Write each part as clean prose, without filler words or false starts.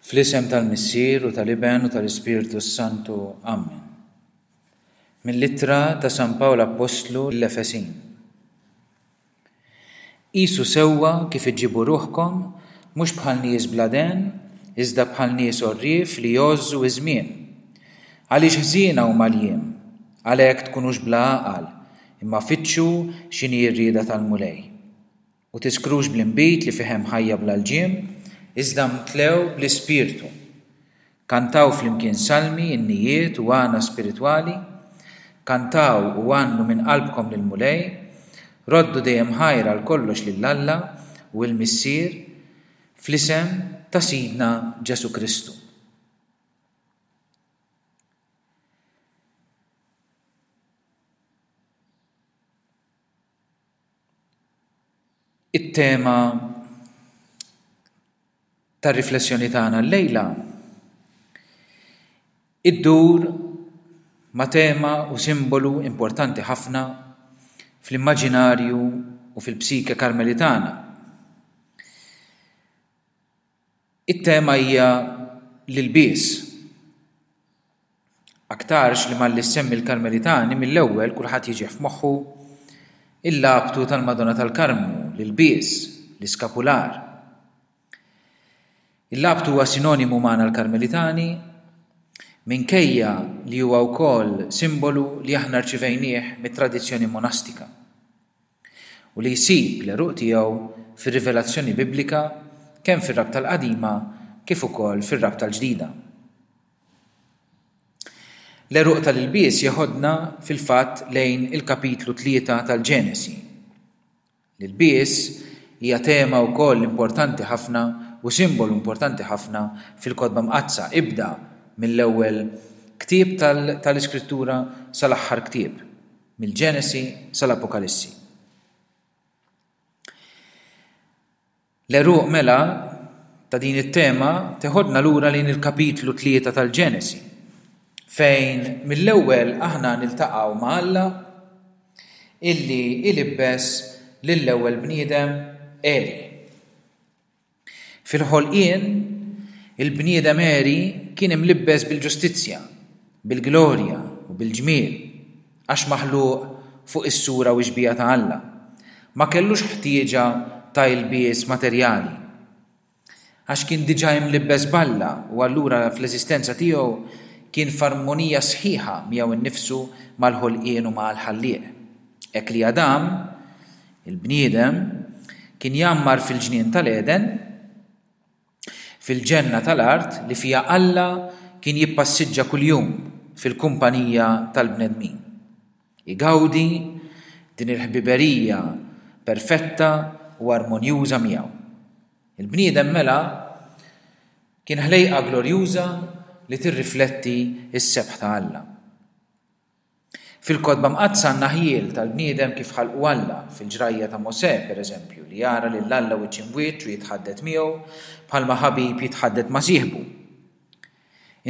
Fl-isem tal-Missier u tal-Iben u tal-Ispirtu s-Santu. Amen. Mill-Ittra ta' San Pawl Appostlu lill-Efesin. Qisu sewwa kif iġġibu ruħkom, mhux bħal nies bla dehen, iżda bħal nies għorrief li jgħożżu ż-żmien. Għaliex ħżiena huma l-jiem. Għalhekk tkunux bla għaqal, imma fittxu x'inhi r-rieda tal-Mulej. U tiskrux bl-inbid li fih hemm ħajja bla lġiem, iżda mtlew bl-Ispirtu. Kantaw flimkien salmi, innijiet u għana spiritwali, kantaw u għannu minn qalbkom lill-Mulej, roddu dejjem ħajr għal kollox lil Alla u l-Missier, fl-isem ta' Sidna Ġesù Kristu. It-tema tar-riflessjoni tagħna llejla iddur ma' tema u simbolu importanti ħafna fl-immaġinarju u fil-psike Karmelitana. It-tema hija l-ilbies. Aktarx li malli ssemmi l-Karmelitani mill-ewwel kulħadd jiġih f'moħħu il-labtu tal-Madonna tal-Karmnu, l-ilbies, l-iskapular. Il-labtu huwa sinonimu magħna l-Karmelitani minkejja li huwa wkoll simbolu li aħna rċivejnieh mit-tradizzjoni monastika. u li jsib l-għeruq tiegħu fir-rivelazzjoni Biblika kemm fir-Rabta l-Qadima kif ukoll fir-Rabta l-Ġdida. L-għeruq tal-ilbies jeħodna fil-fatt lejn il-kapitlu 3 tal-Ġenesi. L-ilbies hija tema wkoll importanti ħafna u simbolu importanti ħafna fil-Kotba Mqaddsa, ibda mill-ewwel ktieb tal-Iskrittura sal-aħħar ktieb. Mill-Ġenesi sal-Apokalissi. L-għeruq mela ta' din it-tema teħodna lura lejn il-kapitlu 3 tal-Ġenesi, fejn mill-ewwel aħna niltaqgħu ma' Alla illi ilibbes lill-ewwel bniedem għeri. Fil-ħolqien, il-bniedem għeri kien imlibbes bil-ġustizzja, bil-glorja u bil-ġmiel, għax maħluq fuq is-sura u x-xbieha ta' Alla. Ma kellux ħtieġa ta' ilbies materjali, għax kien diġà imlibbes b'Alla u allura fl-eżistenza tiegħu kien f'armonija sħiħa miegħu nnifsu, mal-ħolqien u mal-Ħallieq. Hekk li Adam, Il-bniedem kien jgħammar fil-ġnien tal-Għeden, fil-ġenna tal-art li fiha Alla kien jippassiġġa kuljum fil-kumpanija tal-bnedmin. Igawdi din il-ħbiberija perfetta u armonjuża miegħu. Il-bniedem mela kien ħlejqa glorjuża li tirrifletti s-sebħ ta' Alla. Fil-Kotba Mqaddsa għandna ħjiel tal-bniedem kif ħalqu Alla, fil-ġrajja ta' Mosè, per eżempju, li jara lil Alla wiċċ imb'wiċċ u jitħaddet miegħu bħalma ħabib jitħaddet ma' sieħbu.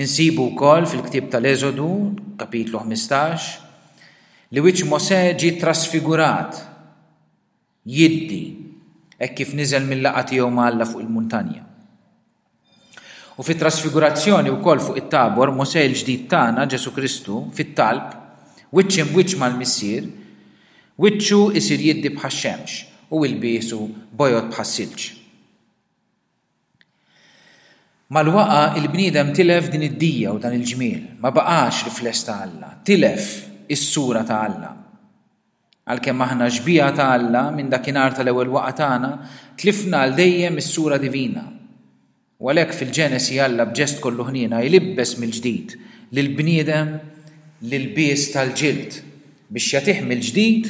Insibu wkoll fil-ktieb tal-Eżodu, kapitlu 15, li wiċċ Mosè ġie ttrasfigurat, jiddi, hekk kif niżel mil-laqgħa tiegħu ma' Alla fuq il-muntanja. U fit-trasfigurazzjoni wkoll fuq it-Tabor, Mosè l-ġdid tagħna, Ġesù Kristu, fit-talb, wiċċ imb'wiċċ mal-Missier, wiċċu isir jiddi bħax-xemx u ilbiesu bojod bħas-silġ. Mal-waqgħa il-bniedem tilef din id-dija u dan il-ġmiel, ma baqax rifless ta' Alla, tilef is-sura ta' Alla. Għalkemm aħna xbieha ta' Alla, minn dakinhar tal-ewwel waqgħa tagħna, tlifna għal dejjem is-sura divina. U għalhekk fil-Ġenesi Alla b'ġest kollu ħniena jlibbes mill-ġdid lill-bniedem l-ilbies tal-ġild biex jagħtih mill-ġdid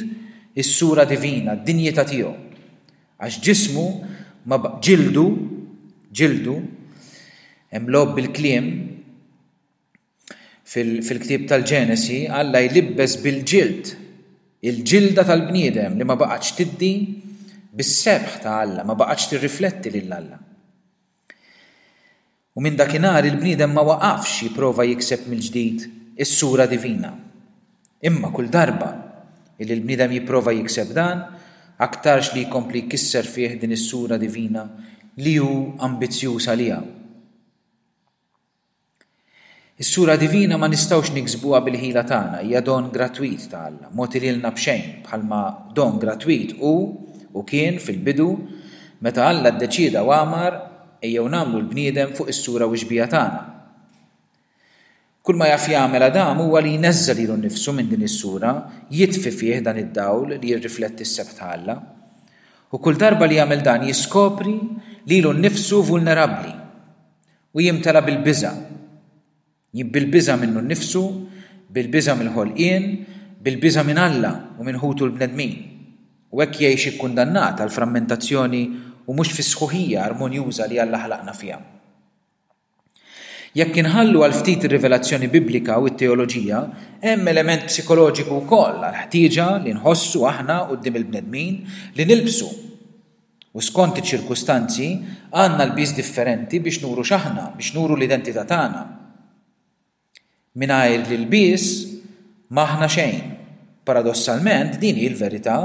is-sura divina, d-dinjità tiegħu. Għax ġismu ma ġildu, ġildu, hemm logħob bil-kliem, Fil-ktieb tal-Ġenesi, Alla jlibbes bil-ġild, il-ġilda tal-bniedem li ma baqgħetx tiddi bis-sebħ ta' Alla, ma baqgħetx tirrifletti lil Alla. U minn dakinhar il-bniedem ma waqafx jipprova jikseb mill-ġdid is-sura divina. Imma kull darba illi l-bniedem jipprova jikseb dan, aktarx li jkompli jkisser fih din is-sura divina li hu ambizzjuż għaliha. Is-sura divina ma nistgħux niksbuha bil-ħila tagħna, hija don gratwit ta' Alla, mogħti lilna b'xejn, bħalma don gratwit hu u kien fil-bidu meta Alla ddeċieda u amar, ejjew nagħmlu l-bniedem fuq is-sura u x-xbieha tagħna. Kull ma jaf jagħmel Adam huwa li jneżża' lilu nnifsu minn din is-sura, jitfi fih dan id-dawl li jirrifletti s-sebħ ta' Alla. U kull darba li jagħmel dan jiskopri lilu nnifsu vulnerabbli. U jimtela bil-biża'. Bil-biża' minnu nnifsu, bil-biża' mill-ħolqien, bil-biża' minn Alla u minn ħutu l-bnedmin. U hekk jgħix ikkundannat għall-frammentazzjoni u mhux fis-sħuħija armonjuża li Alla ħalaqna fiha. Jekk inħallu għal ftit ir-rivelazzjoni biblika u t-teoloġija, hemm element psikoloġiku wkoll għall-ħtieġa li nħossu aħna quddiem il-bnedmin li nilbsu U skont iċ-ċirkustanzi, għandna lbies differenti biex nuru x'aħna, biex nuru l-identità tagħna. Mingħajr l-ilbies m'aħna xejn. Paradossalment, din hi l-verità.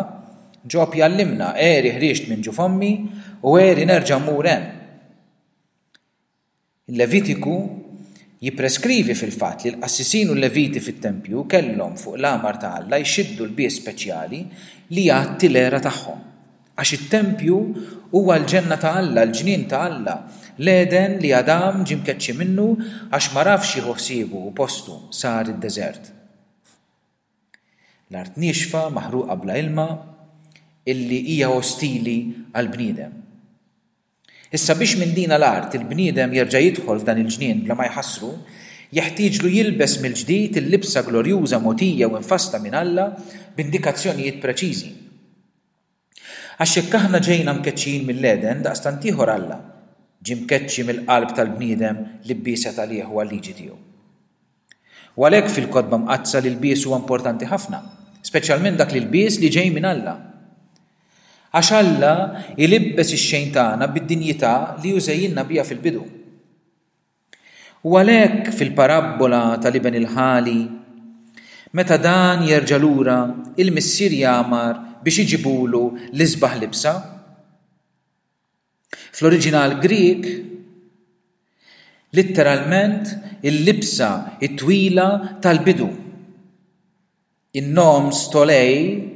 Ġob jgħallimna, għeri ħriġt minn ġuf ommi u għeri nerġa' mmur hemm. Il-Levitiku jippreskrivi fil-fatt li l-qassisin u l-Leviti fit-tempju kellhom fuq l-għamar ta' Alla jxiddu lbies speċjali li jgħatti l-għera tagħhom. Għax it-tempju huwa l-ġenna ta' Alla, l-ġnien ta' Alla, l-Għeden li Adam ġie mkeċċi minnu għax m'għarafx jieħu ħsiebu u postu sar id-deżert. L-art niexfa, maħruqa bla ilma, illi hija ostili għall-bniedem. Issa biex minn dina l-art il-bniedem jerġa' jidħol f'dan il-ġnien bla ma jħassru, jeħtieġlu jilbes mill-ġdid il-libsa glorjuża mogħtija u mfassla minn Alla b'indikazzjonijiet preċiżi. Għax jekk aħna ġejna mkeċċijin mill-Għeden, daqstant ieħor Alla ġie mkeċċi mill-qalb tal-bniedem li bieset għalih u għal-liġi tiegħu. U għalhekk fil-Kotba Mqaddsa l-ilbies huwa importanti ħafna, speċjalment dak l-ilbies li ġej minn Alla. Għax Alla jlibbes ix-xejn tagħna bid-dinjità li hu żejjinna biha fil-bidu. U għalhekk fil-parabbola tal-iben il-ħali, meta dan jerġa' lura, il-missier jagħmar biex iġibulu l-isbaħ libsa. Fl-oriġinal Grieg, litteralment il-libsa t-twila tal-bidu. In-nom stolei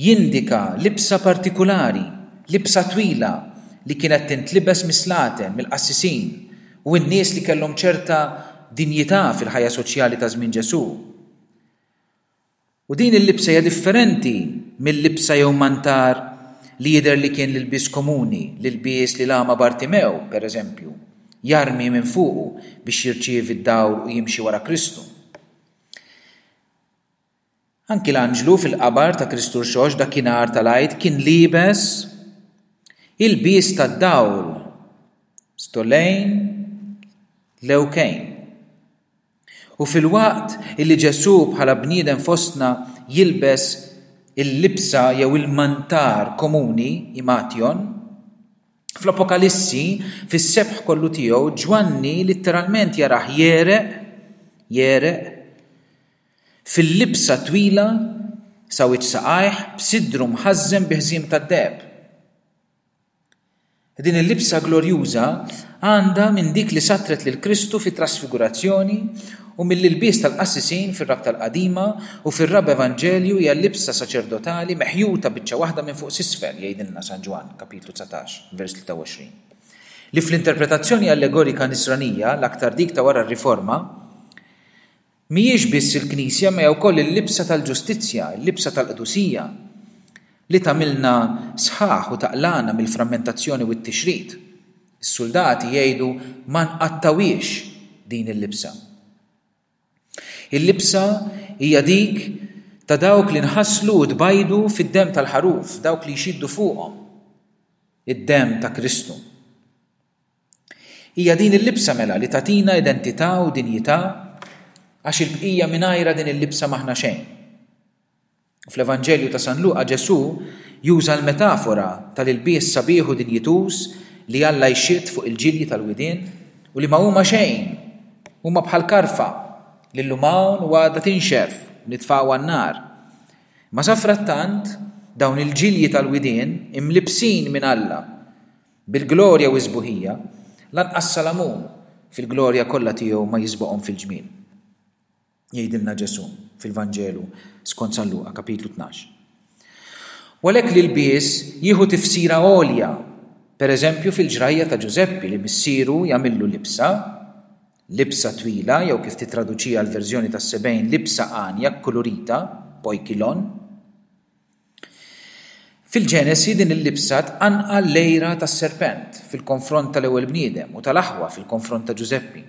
jindika libsa partikulari, libsa twila li kienet tintlibes mis-slaten, mill-qassisin, u n-nies li kellhom ċerta dinjità fil-ħajja soċjali ta' żmien Ġesù. U din il-libsa hija differenti mil-libsa jew mantar li jidher li kien l-ilbies komuni, l-ilbies li l-agħma Bartimew, per eżempju, jarmi minn fuqu biex jirċievi d-dawl u jimxi wara Kristu. Anki l-anġlu fil-qabar ta' Kristu Rxoxt dakinhar tal-Għid kien liebes ilbies tad-dawl, stolejn lewkejn. U filwaqt illi Ġesù bħala bniedem fostna jilbes il-libsa jew il-mantar komuni, imation, fl-Apokalissi, fis-sebħ kollu tiegħu, Ġwanni litteralment jarah jegħreq, jegħreq, fil-libsa twila sa wiċċ saqajh b'sidru mħażżem bi ħżiem tad-deheb. Din il-libsa glorjuża għandha minn dik li satret lil Kristu fit-Trasfigurazzjoni u mill-ilbies tal-qassisin fir-Rabta l-Qadima u fir-Raba' Evanġelju hija l-libsa saċerdotali meħjuta biċċa waħda minn fuq s'isfel, jgħidilna San Ġwann, kapitlu 19, vers 23. Li fl-interpretazzjoni allegorika Nisranija, l-aktar dik ta' wara r-Riforma, Mhijiex biss il-Knisja imma hija wkoll il-libsa tal-ġustizzja, il-libsa tal-qdusija, li tagħmilna sħaħ u taqlagħna mill-frammentazzjoni u t-tixrid. Is-suldati jgħidu ma nqattgħuhiex din il-libsa. Il-libsa hija dik ta' dawk li nħasslu u tbajdu fid-demm tal-ħaruf, dawk li jxiddu fuqhom id-demm ta' Kristu. Hija din il-libsa mela li tagħtina identità u dinjità għax il-bqija mingħajrha din il-libsa m'aħna xejn. U fl-Evanġelju ta' San Luqa Ġesù juża l-metafora tal-ilbies sabiħ u dinjituż li Alla jxidd fuq il-ġilji tal-widien u li ma huma xejn, huma bħal karfa li llum hawn u għada tinxef u nitfgħuha n-nar. Ma safrattant dawn il-ġilji tal-widien imlibbsin minn Alla Bil-glorja u s-sbuħija, lanqas Salamun. fil-glorja kollha tiegħu ma jisboqhom fil-ġmiel. Jgħidilna Ġesù fil-Vanġelu skont San Luqa kapitlu 12. U għalhekk l-ilbies jieħu tifsira għolja, pereżempju fil-ġrajja ta' Ġużeppi li missieru jagħmillu libsa, libsa twila jew kif tittraduċiha l-verżjoni tas-sebgħin libsa għanja kkulurita, poikilon. Fil-Ġenesi din il-libsa tqanqal l-għira tas-serpent fil-konfront tal-ewwel bniedem u tal-aħwa fil-konfront ta' Ġużeppi.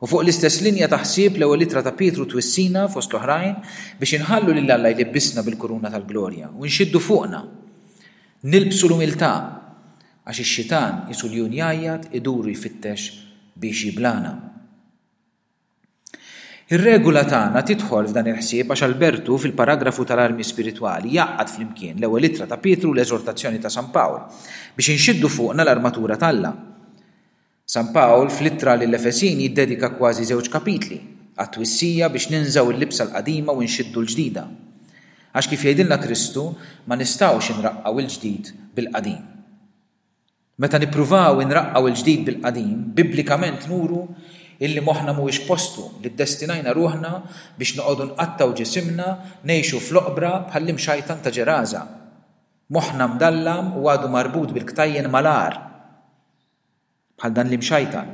U fuq l-istess linja ta' ħsieb l-ewwel ittra ta' Pietru twissina, fost l-oħrajn, biex inħallu lil Alla jlibbisna bil-kuruna tal-glorja u nxiddu fuqna. Nilbsu l-umiltà, għax ix-xitan qisu ljun jgħajjat idur u jfittex biex jiblagħna. Ir-regola tagħna tidħol f'dan il-ħsieb għax Albertu fil-paragrafu tal-armi spiritwali jgħaqqad flimkien l-ewwel ittra ta' Pietru u l-eżortazzjoni ta' San Pawl biex inxiddu fuqna l-armatura t'Alla. San Pawl fl-ittra lill-Efesin jiddedika kważi żewġ kapitli għat-twissija biex ninżgħu l-libsa l-qadima u nxiddu l-ġdida. Għax kif jgħidilna Kristu, ma nistgħux inraqqgħu l-ġdid bil-qadim. Meta nippruvaw inraqqgħu l-ġdid bil-qadim, bibblikament nuru illi moħħna mhuwiex postu, li ddestinajna ruħna biex noqogħdu nqattgħu ġisimna, ngħixu fl-oqbra bħall-imxajtan ta' Ġeraża. Moħħna mdallam u għadu marbut bil-ktajjen mal-għar. Bħal dan l-imxajtan,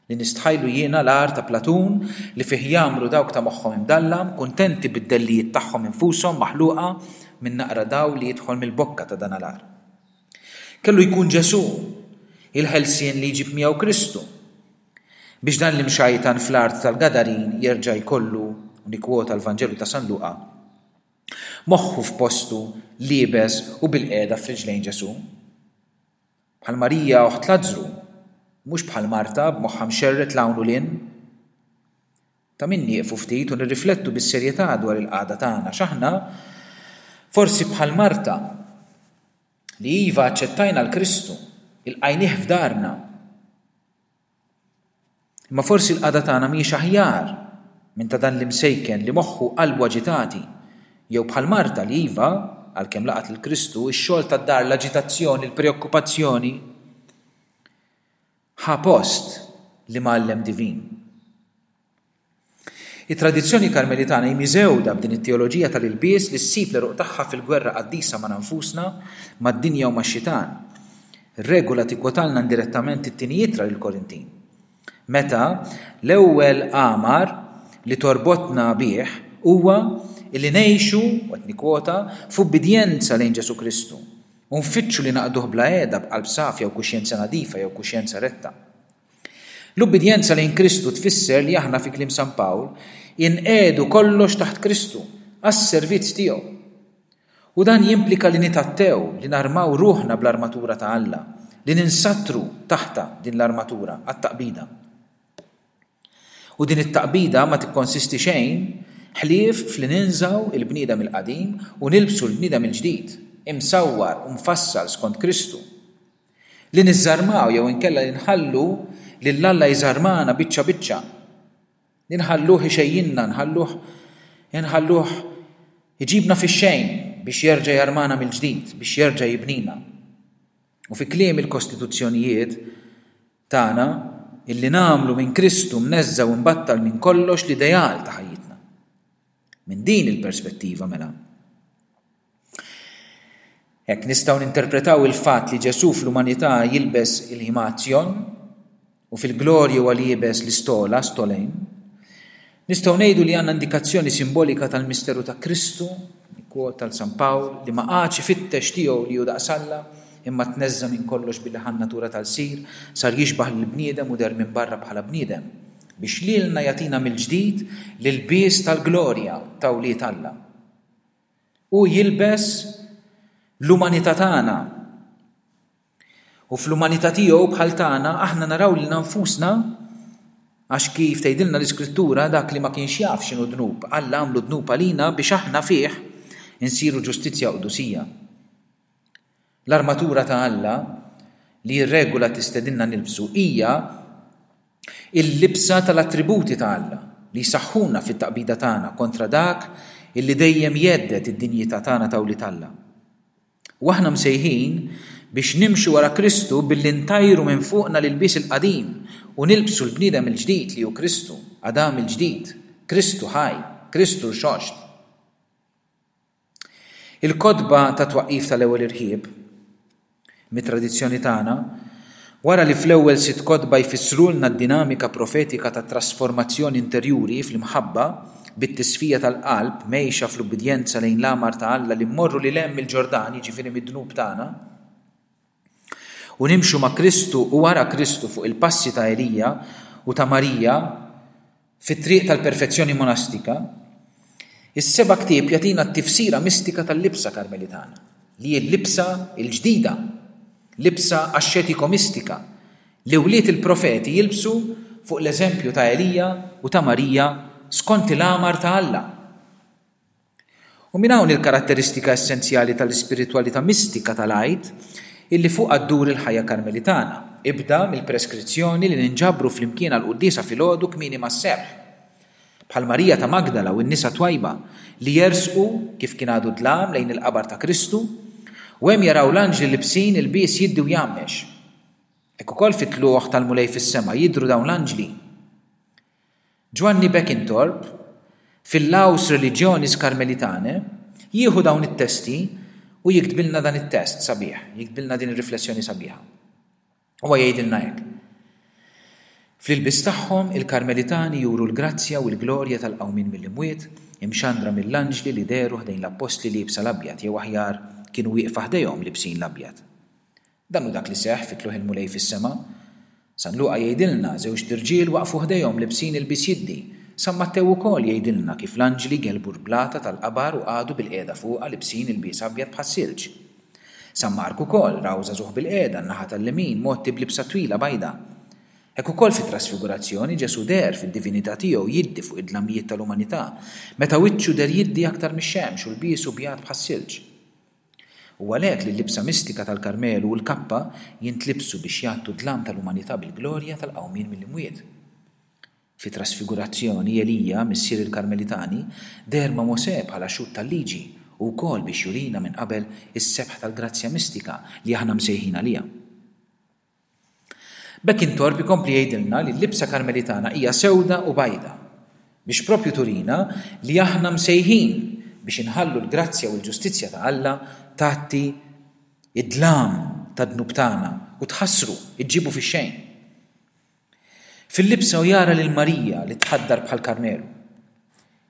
li nistħajlu jiena l-għar ta' Platun li fih jgħammru dawk ta' moħħhom imdallam, kuntenti bid-dellijiet tagħhom infushom maħluqa minn naqra dawl li jidħol mill-bokka ta' dan l-għar. Kellu jkun Ġesù, il-ħelsien li jġib miegħu Kristu, biex dan l-imxajtan fl-art tal-Gadarin jerġa' jkollu, u nikkwota l-Vanġelu ta' San Luqa, moħħu f'postu, liebes u bilqiegħda f'riġlejn Ġesù. Bħal Marija oħt Lazzru, mhux bħal Marta b'moħħha mxerred 'l hawn u 'l hinn. Ta' min nieqfu ftit u nirriflettu bis-serjetà dwar il-qagħda tagħna għax aħna, forsi bħal Marta, li iva aċċettajna 'l Kristu, ilqajnieh f'darna, Imma forsi l-qagħda tagħna mhijiex aħjar minn ta' dan l-imsejken li moħħu u qalbu aġitati, jew bħal Marta li iva, għalkemm laqgħet lil Kristu, ix-xogħol tad-dar, l-aġitazzjoni, il-preokkupazzjoni, ħa post l-Imgħallem divin. It-tradizzjoni Karmelitana hi miżgħuda b'din it-teoloġija tal-ilbies li ssib l-għeruq tagħha fil-gwerra qaddisa magħna nfusna, mad-dinja u max-xitan. Ir-regola tikkwotalna indirettament it-tieni ittra lill-Korintin. Meta l-ewwel għamar li torbotna bih huwa illi ngħixu, u qed nikkwota, f'ubbidjenza lejn Ġesù Kristu u nfittxu li naqduh bla heda b'qalb safja u kuxjenza nadifa jew kuxjenza retta. L-ubbidjenza lejn Kristu tfisser li aħna fi kliem San Pawl, inqiegħdu kollox taħt Kristu, għas-servizz tiegħu. U dan jimplika li nitgħattew, li narmaw ruħna bl-armatura ta' Alla, li ninsattru taħtha din l-armatura għat-taqbida. U din it-taqbida ma tikkonsisti xejn ħlief f'li ninżgħu il-bniedem il-qadim u nilbsu l-bniedem il-ġdid, imsawwar u mfassal skont Kristu. Li niżżarmaw jew inkella li nħallu lil Alla jżarmana biċċa biċċa. Li nħalluh ixejjinna, nħalluh inħalluh iġibna fix-xejn biex jerġa' jarmana mill-ġdid, biex jerġa' jibnina. U fi kliem il-kostituzzjonijiet tagħna illi nagħmlu minn Kristu mneżża' u mbattal minn kollox l-ideal ta' ħajjitna. Minn din il-perspettiva mela, Hekk nistgħu ninterpretaw il-fatt li Ġesù fl-umanità jilbes il-himation u fil-glorja huwa liebes l-istola, stolein. Nistgħu ngħidu li għandna indikazzjoni simbolika tal-misteru ta' Kristu, nikkwota l San Pawl, li ma qagħadx ifittex tiegħu li hu daqs Alla, imma tneżża' minn kollox billi ħa n-natura ta' lsir, sar jixbah lill-bniedem u deher minn barra bħala bniedem, biex lilna jagħtina mill-ġdid l-ilbies tal-glorja ta' wlied Alla. Hu jilbes l-umanità tagħna. U fl-umanità tiegħu bħal tagħna aħna naraw lilna nfusna għax kif tgħidilna l-Iskrittura dak li ma kienx jaf x'inhu dnub, Alla għamlu dnub għalina biex aħna fih insiru ġustizzja u qdusija. L-armatura ta' Alla li r-regola tistedinna nilbsu hija l-libsa tal-attributi ta' Alla li jsaħħuna fit-taqbida tagħna kontra dak illi dejjem jhedded id-dinjità tagħna ta' wlied Alla. U aħna msejħin biex nimxu wara Kristu billi ntajru minn fuqna l-ilbies il-qadim u nilbsu l-bniedem il-ġdid li hu Kristu, Adam il-ġdid, Kristu ħaj, Kristu rxoxt. Il-kotba tat-twaqqif tal-ewwel irħieb, mit-tradizzjoni tagħna, wara li fl-ewwel sitt kotba jfissrulna d-dinamika profetika tat-trasformazzjoni interjuri fl-imħabba bit-tisfija tal-qalb mgħejxa fl-ubbidjenza lejn l-għamar ta' Alla li mmorru lil hemm mill-Ġordan, jiġifieri mid-dnub tagħna, u nimxu ma' Kristu u wara Kristu fuq il-passi ta' Elija u ta' Marija fit-triq tal-perfezzjoni monastika, is-seba' ktieb jagħtina t-tifsira mistika tal-libsa Karmelitana, li hi l-libsa l-ġdida, libsa axxetiko-mistika, li wlied il-profeti jilbsu fuq l-eżempju ta' Elija u ta' Marija skont il-għamar ta' Alla. U minn hawn il-karatteristika essenzjali tal-ispiritwalità mistika tal-Għid illi fuqha ddur il-ħajja Karmelitana, ibda mill-preskrizzjoni li ninġabru flimkien għall-quddiesa filgħodu kmieni mas-sebħ, bħal Marija ta' Magdala u n-nisa twajba li jersqu kif kien għadu dlam lejn il-qabar ta' Kristu u hemm jaraw l-anġli libsin ilbies jiddi u jgħammex. Hekk ukoll fit-tlugħ tal-Mulej fis-sema jidhru dawn l-anġli. Ġwanni Beckintorp, fil-Laus Religionis Carmelitanae, jieħu dawn it-testi u jiktbilna dan it-test sabiħ, jiktbilna din ir-riflessjoni sabiħa. Huwa jgħidilna hekk. Fl-ilbies tagħhom, il-Karmelitani juru l-grazzja u l-glorja tal-qawmien mill-imwiet, imxandra mill-anġli li dehru ħdejn l-appostli liebsa l-abjad, jew aħjar, kienu wieqfa ħdejhom libsin l-abjad. Dan hu dak li seħħ fi tlugħ il-Mulej fis-sema. San Luqa jgħidilna, żewġt irġiel waqfu ħdejhom libsin ilbies jiddi. San Mattew ukoll jgħidilna kif l-anġli gellbu l-blata tal-qabar u qagħdu bilqiegħda fuqha libsin ilbies abjad bħas-silġ. San Mark ukoll raw żagħżugħ bilqiegħda n-naħa tal-lemin mgħotti b'libsa twila bajda. Hekk ukoll fit-Trasfigurazzjoni Ġesù deher fid-divinità tiegħu jiddi fuq id-dlamijiet tal-umanità, meta wiċċu deher jiddi aktar mix-xemx u lbiesu bjad bħas-silġ. Hu għalhekk li l-libsa mistika tal-Karmelu u l-kappa jintlibsu biex jgħattu d-dlam tal-umanità bil-glorja tal-qawmien mill-imwiet. Fit-Trasfigurazzjoni, Elija, missier il-Karmelitani, deher ma' Mosè bħala xhud tal-Liġi u wkoll biex jurina minn qabel is-sebħ tal-grazzja mistika li aħna msejħin għaliha. B'hekk Intorp ikompli jgħidilna li l-libsa Karmelitana hija sewda u bajda, biex proprju turina li aħna msejħin biex inħallu l-grazzja u l-ġustizzja ta' Alla tgħatti d-dlam tad-dnub tagħna u tħassru, iġġibu fix-xejn. Fil-libsa hu jara lil Marija li tħaddar bħall-Karmelu.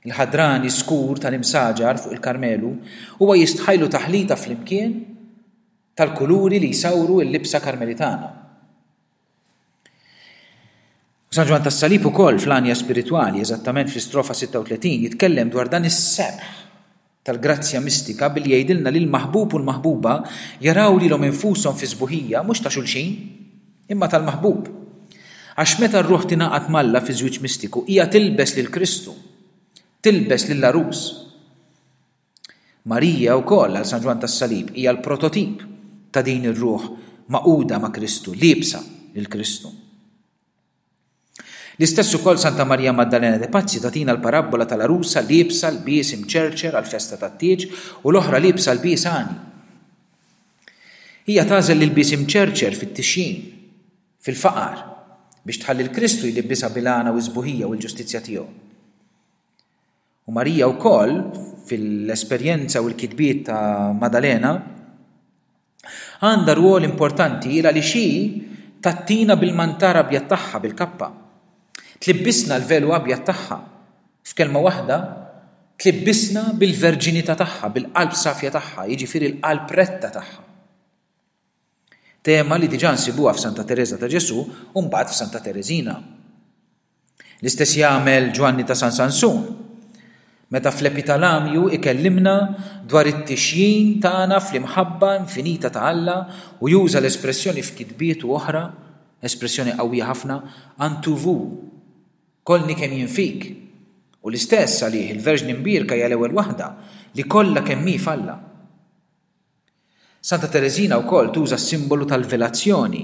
Il-ħadrani skur tal-imsaġar fuq il-Karmelu huwa jistħajlu taħlita flimkien tal-kuluri li jsawru l-libsa Karmelitana. U San Ġwann tas-Salib ukoll fl-Għanja Spiritwali, eżattament fl-istrofa 36, jitkellem dwar dan is-sebħ tal-grazzja mistika billi jgħidilna li l-maħbub u l-maħbuba jaraw lilhom infushom fis-sbuħija mhux ta' xulxin, imma tal-maħbub. Għax meta r-ruħ tingħaqad m'Alla fi żwieġ mistiku, hija tilbes lil Kristu, tilbes lill-għarus. Marija wkoll, għal San Ġwann tas-Salib, hija l-prototip ta' din ir-ruħ magħquda ma' Kristu, liebsa lil Kristu. L-istess ukoll Santa Marija Maddalena de Pazzi tagħtina l-parabbola tal-għarusa liebsa lbies imċerċer għall-festa tat-tieġ u l-oħra liebsa lbies għani. Hija tagħżel l-ilbies imċerċer fit-tixjin, fil-faqar, biex tħalli l-Kristu jlibbisha bil-għana u s-sbuħija u l-ġustizzja tiegħu. U Marija wkoll, fil-esperjenza u l-kitbiet ta' Madalena, għandha rwol importanti il għaliex hi tgħattina bil-mantar abjad tagħha, bil-kappa. Tlibbisna l-velu abjad tagħha. F'kelma waħda, tlibbisna bil-verġinità tagħha, bil-qalb safja tagħha, jiġifieri l-qalb retta tagħha. Tema li diġà nsibuha f'Santa Tereża ta' Ġesù u mbagħad f'Santa Tereżina. L-istess jagħmel Ġwanni ta' San Sansun meta fl-Epitalamju ikellimna dwar it-tixjin tagħna fl-imħabba infinita ta' Alla u juża l-espressjoni f'kitbietu oħra, espressjoni qawwija ħafna, Antu vu, kollni kemm jien fik. U l-istess għalih il-Verġni Mbierka hija l-ewwel waħda li kollha kemm hi f'Alla. Santa Tereżina wkoll tuża s-simbolu tal-velazzjoni,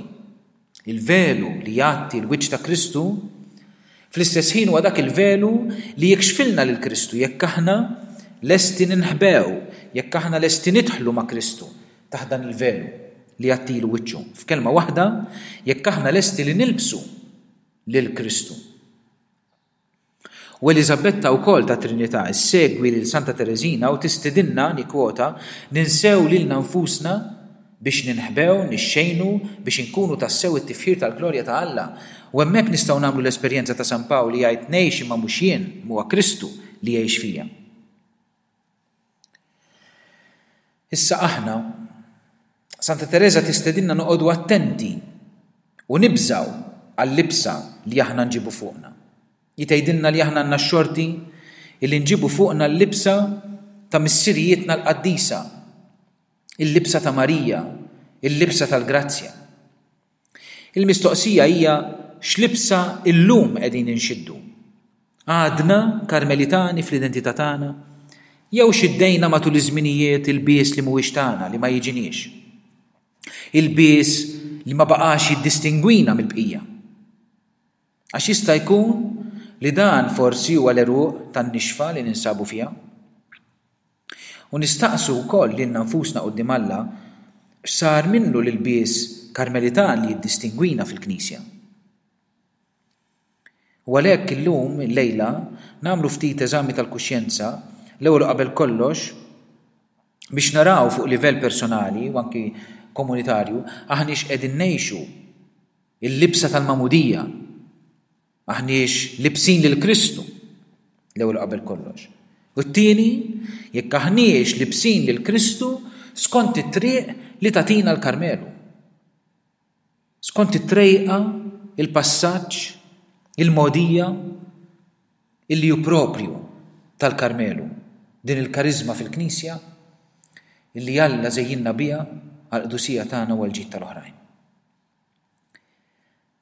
il-velu li jgħatti l-wiċċ ta' Kristu, fl-istess ħin huwa dak il-velu li jikxfilna lil Kristu jekk aħna lesti ninħbew, jekk aħna lesti nidħlu ma' Kristu taħt dan il-velu. li jgħattilu wiċċu. F'kelma waħda, jekk aħna lesti li nilbsu lil Kristu. U Eliżabetta wkoll tat-Trinità issegwi lil Santa Tereżina u tistidinna, nikkwota, ninsew lilna nfusna biex ninħbew, nixxejnu, biex inkunu tassew it-tifħir tal-glorja ta' Alla. U hemmhekk nistgħu nagħmlu l-esperjenza ta' San Pawl li jgħid ngħix imma mhux jien, imma huwa Kristu li jgħix fija. Issa aħna, Santa Tereża tistedinna noqogħdu attenti u nibżgħu għal-libsa li aħna nġibu fuqna. Hi tgħidilna li aħna għandna x-xorti illi nġibu fuqna l-libsa ta' missirijietna l-qaddisa, il-libsa ta' Marija, il-libsa tal-grazzja. Il-mistoqsija hija x'libsa illum qegħdin inxiddu? Għadna Karmelitani fl-identità tagħna? Jew xiddejna matul iż-żminijiet ilbies li mhuwiex tagħna, li ma jiġiniex? Ilbies li ma baqax jiddistingwina mill-bqija? Għax jista' jkun li dan forsi huwa l-għeruq tan-nixfa li ninsabu fiha. U nistaqsu wkoll lilna nfusna quddiem Alla x'sar minnu l-ilbies Karmelitan li jiddistingwina fil-Knisja. U għalhekk illum, illejla, nagħmlu ftit eżami tal-kuxjenza, l-ewwel u qabel kollox, biex naraw fuq livell personali u anki komunitarju aħniex qegħdin ngħixu Il-libsa tal-magħmudija. Aħniex libsin lil Kristu, l-ewwel qabel kollox. U t-tieni, jekk aħniex libsin lil Kristu skont it-triq li tagħtina l-Karmelu. Skont it-trejqa, il-passaġġ, il-mogħdija illi hu proprju tal-Karmelu, din il-kariżma fil-Knisja illi Alla żejjinna biha għall-qdusija tagħna u għall-ġid tal-oħrajn.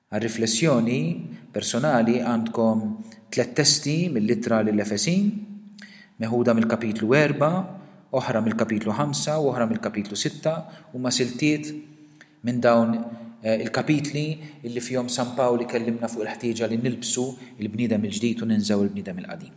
Għar-riflessjoni personali għandkom tlett testi mill-Ittra lill-Efesin, meħuda mill-kapitlu erbgħa, oħra mill-kapitlu ħamsa u oħra mill-kapitlu sitta, huma siltiet minn dawn il-kapitli illi fihom San Pawl ikellimna fuq il-ħtieġa li nilbsu l-bniedem il-ġdid u ninżgħu l-bniedem il-qadim.